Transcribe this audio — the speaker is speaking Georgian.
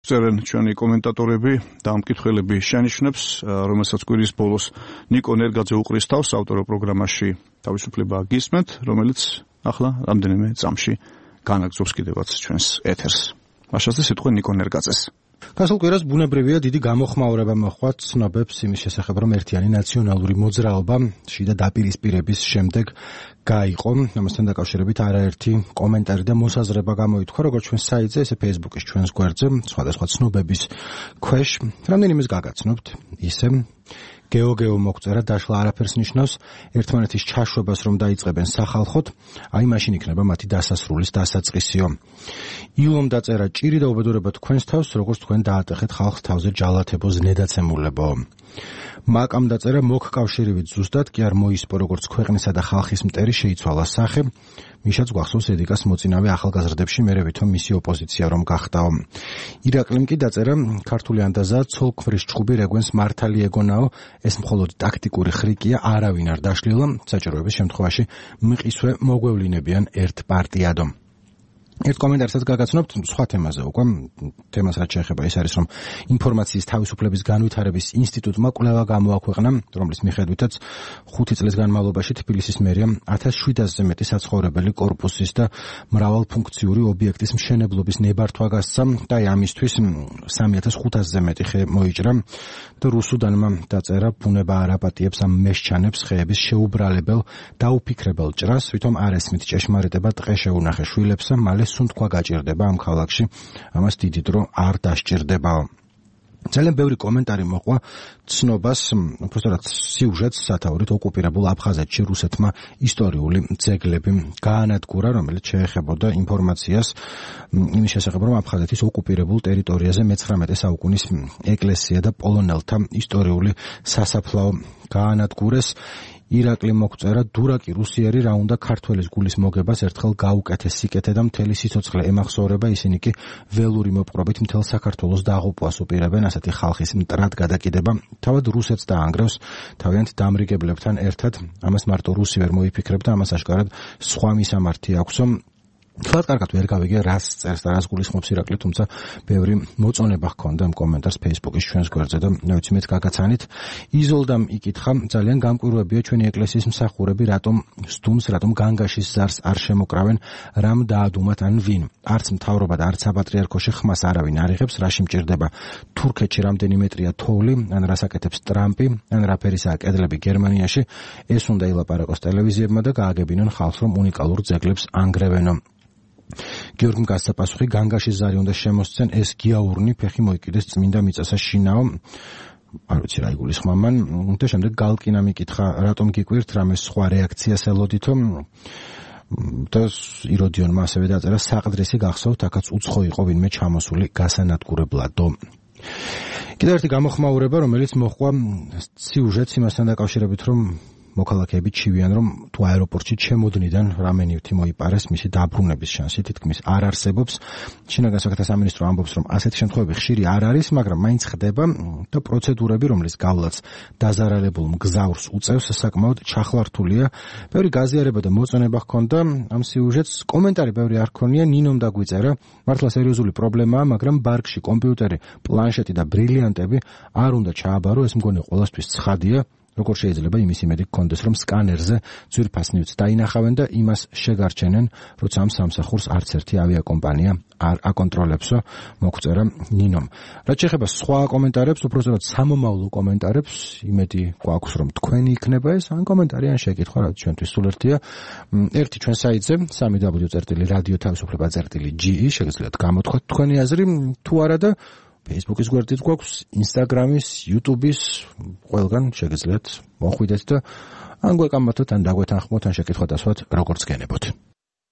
წერენ ჩვენი კომენტატორები და ამკითხველები შენიშნებს, რომელსაც კვირის ბოლოს ნიკო ნერგაძე უყრის თავს ავტორო პროგრამაში თავისუფლება გისმენთ, რომელიც ახლა რამდენიმე წამში განაგრძობს კიდევაც ჩვენს ეთერს. მაშასე სიტყვა ნიკო ნერგაძეს. გასულ კვირას ბუნებრივია დიდი გამოხმაურება მოჰყვა ცნობებს იმის შესახებ, რომ ერთიანი ნაციონალური მოძრაობა შიდა დაპირისპირების შემდეგ გაიყო. ამასთან დაკავშირებით არაერთი კომენტარი და მოსაზრება გამოითქვა, როგორც ჩვენ საიტზე, ესე Facebook-ის ჩვენს გვერდზე, სხვადასხვა ცნობების ქვეშ. რამდენიმეს გაგაცნობთ, ისე გეოგეო მოგწერა დაშლა არაფერს ნიშნავს ერთმანეთის ჩაშვებას რომ დაიწყებენ სახალხოდ, აი მაშინ იქნება მათი დასასრულის დასაწყისიო. ილომ დაწერა ჭირი და უბედურება თქვენს თავს, როგორც თქვენ დაატეხეთ ხალხს თავზე ჯალათებო ზნედაცემულებო. მაკამ დაწერა მოგკავშირივით ზუსტად კი არ მოისპო როგორც ქვეყნისა და ხალხის მტერი შეიცვალა სახე. მიშაც გვახსოვს ედიკას მოწინავე ახალგაზრდებში მერე ვითომ მისი ოპოზიცია რომ გახდაო. ირაკლიმ კი დაწერა ქართული ანდაზა ცოლქმრის ჭხუბი რეგვენს მართალი ეგონაო, ეს მხოლოდ ტაქტიკური ხრიკია, არავინ არ დაშლილა, საჭიროების შემთხვევაში მყისვე მოგვევლინებიან ერთ პარტიადო. ერთ კომენტარსაც გაგაცნობთ სხვა თემაზე უკვე, თემას რაც შეეხება ის არის, რომ ინფორმაციის თავისუფლების განვითარების ინსტიტუტმა კვლევა გამოაქვეყნა, რომლის მიხედვითაც 5 წლის განმავლობაში თბილისის მერიამ 1700-ზე მეტი საცხოვრებელი კორპუსის და მრავალფუნქციური ობიექტის მშენებლობის ნებართვა გასცა და ამისთვის 3500-ზე მეტი ხე მოიჭრა და რუსუდანმა დაწერა ბუნება არ აპატიებს ამ მესჩანებს ხეების შეუბრალებელ დაუფიქრებელ ჭრას, ვითომ არ ესმით ჭეშმარიტება ტყე შეუნახე შვილებსა, მალე სუნთქვა გაჭირდება ამ ქალაქში, ამას დიდი დრო არ დასჭირდებაო. ძალიან ბევრი კომენტარი მოყვა ცნობას, უბრალოდ სიუჟეტს სათაურით ოკუპირებულ აფხაზეთში რუსეთმა ისტორიული ძეგლები გაანადგურა, რომელიც შეეხებოდა ინფორმაციას იმის შესახებ, რომ აფხაზეთის ოკუპირებულ ტერიტორიაზე მე-19 საუკუნის ეკლესია და პოლონელთა ისტორიული სასაფლაო გაანადგურეს. ირაკლი მოგწერა დურაკი რუსიერი რა უნდა ქართველის გულის მოგებას ერთხელ გაუკეთეს სიკეთე და მთელი სიცოცხლე ემახსოვრება, ისინი კი ველური მოპყრობით მთელ საქართველოს დაღუპვას უპირებენ, ასეთი ხალხის მტრად გადაკიდება თავად რუსეთს დაანგრევს თავიანთ დამრიგებლებთან ერთად, ამას მარტო რუსი ვერ მოიფიქრებდა, ამას აშკარად სხვა მისამართი აქვსო. თქვათ კარგად ვერ გავიგე რას წერს და რას გულისხმობს ირაკლი, თუმცა ბევრი მოწონება ჰქონდა ამ კომენტარს Facebook-ის ჩვენს გვერდზე და ნეც მეც გაგაცანით. იზოლდამ იკითხა, ძალიან გამკვირვებია ჩვენი ეკლესიის მსახურები, რატომ სტუმს, რატომ განგაშის ზარს არ შემოკრავენ, რამ დაადუმათ ან ვინ. არც მთავრობა და არც საპატრიარქოში ხმას არავინ არ იღებს, რაში მჭირდება თურქეთში რამდენიმეტრია თოვლი, ან რას აკეთებს ტრამპი, ან რა ფერისაა კედლები გერმანიაში, ეს უნდა ილაპარაკოს ტელევიზიებმა და გააგებინონ ხალხს, რომ უნიკალურ ძეგლებს ანგრევენო. გიორგიმ გასცა პასუხი, განგაშის ზარი უნდა შემოსცენ, ეს გიაურნი ფეხი მოიკიდეს წმინდა მიწასა შინაო. არ ვიცი რა იგულისხმა მან და შემდეგ გალკინა მიკითხა, რატომ გიკვირთ, რამე სხვა რეაქციას ელოდითო და იროდიონმა ასევე დაწერა, საყდრისი გახსოვთ, აქაც უცხო იყო ვინმე ჩამოსული გასანადგურებლადო. კიდევ ერთი გამოხმაურება, რომელიც მოჰყვა სიუჟეტს იმასთან დაკავშირებით, რომ მოქალაქეები ჩივიან, რომ თუ აეროპორტში ჩემოდნიდან რამე ნივთი მოიპარეს, მისი დაბრუნების შანსი თითქმის არ არსებობს. შინაგან საქმეთა სამინისტრო ამბობს, რომ ასეთი შემთხვევები ხშირი არ არის, მაგრამ მაინც ხდება და პროცედურები, რომლის გავლაც დაზარალებულ მგზავრს უწევს, საკმაოდ ჩახლართულია. ბევრი გაზიარება და მოწონება ჰქონდა ამ სიუჟეტს. კომენტარი ბევრი არ ქონია, ნინომ დაგვიწერა, მართლა სერიოზული პრობლემაა, მაგრამ ბარგში კომპიუტერი, პლანშეტი და ბრილიანტები არ უნდა ჩააბარო, ეს მგონი ყველასთვის ცხადია. როგორ შეიძლება იმის იმედი გქონდეს, რომ სკანერზე ძვირფას ნივთს დაინახავენ და იმას შეგარჩენენ, როცა ამ სამსახურს არც ერთი ავიაკომპანია არ აკონტროლებსო, მოგწერა ნინომ. რაც შეეხება სხვა კომენტარებს, უბრალოდ სამომავლო კომენტარებს, იმედი გვაქვს, რომ თქვენი იქნება ეს, ან კომენტარი, ან შეკითხვა, რაც ჩვენთვის სულ ერთია. ერთი ჩვენ საიტზე, www.radio-თავისუფლება.ge, შეგიძლიათ გამოთქვათ თქვენი აზრი, თუ არა და Facebook-ის გვერდით გვაქვს, Instagram-ის, YouTube-ის, ყველგან შეგიძლიათ მოხვიდეთ და ან გვეკამათოთ, ან დაგვეთანხმოთ, ან შეკითხვა დასვათ, როგორც გენებოთ.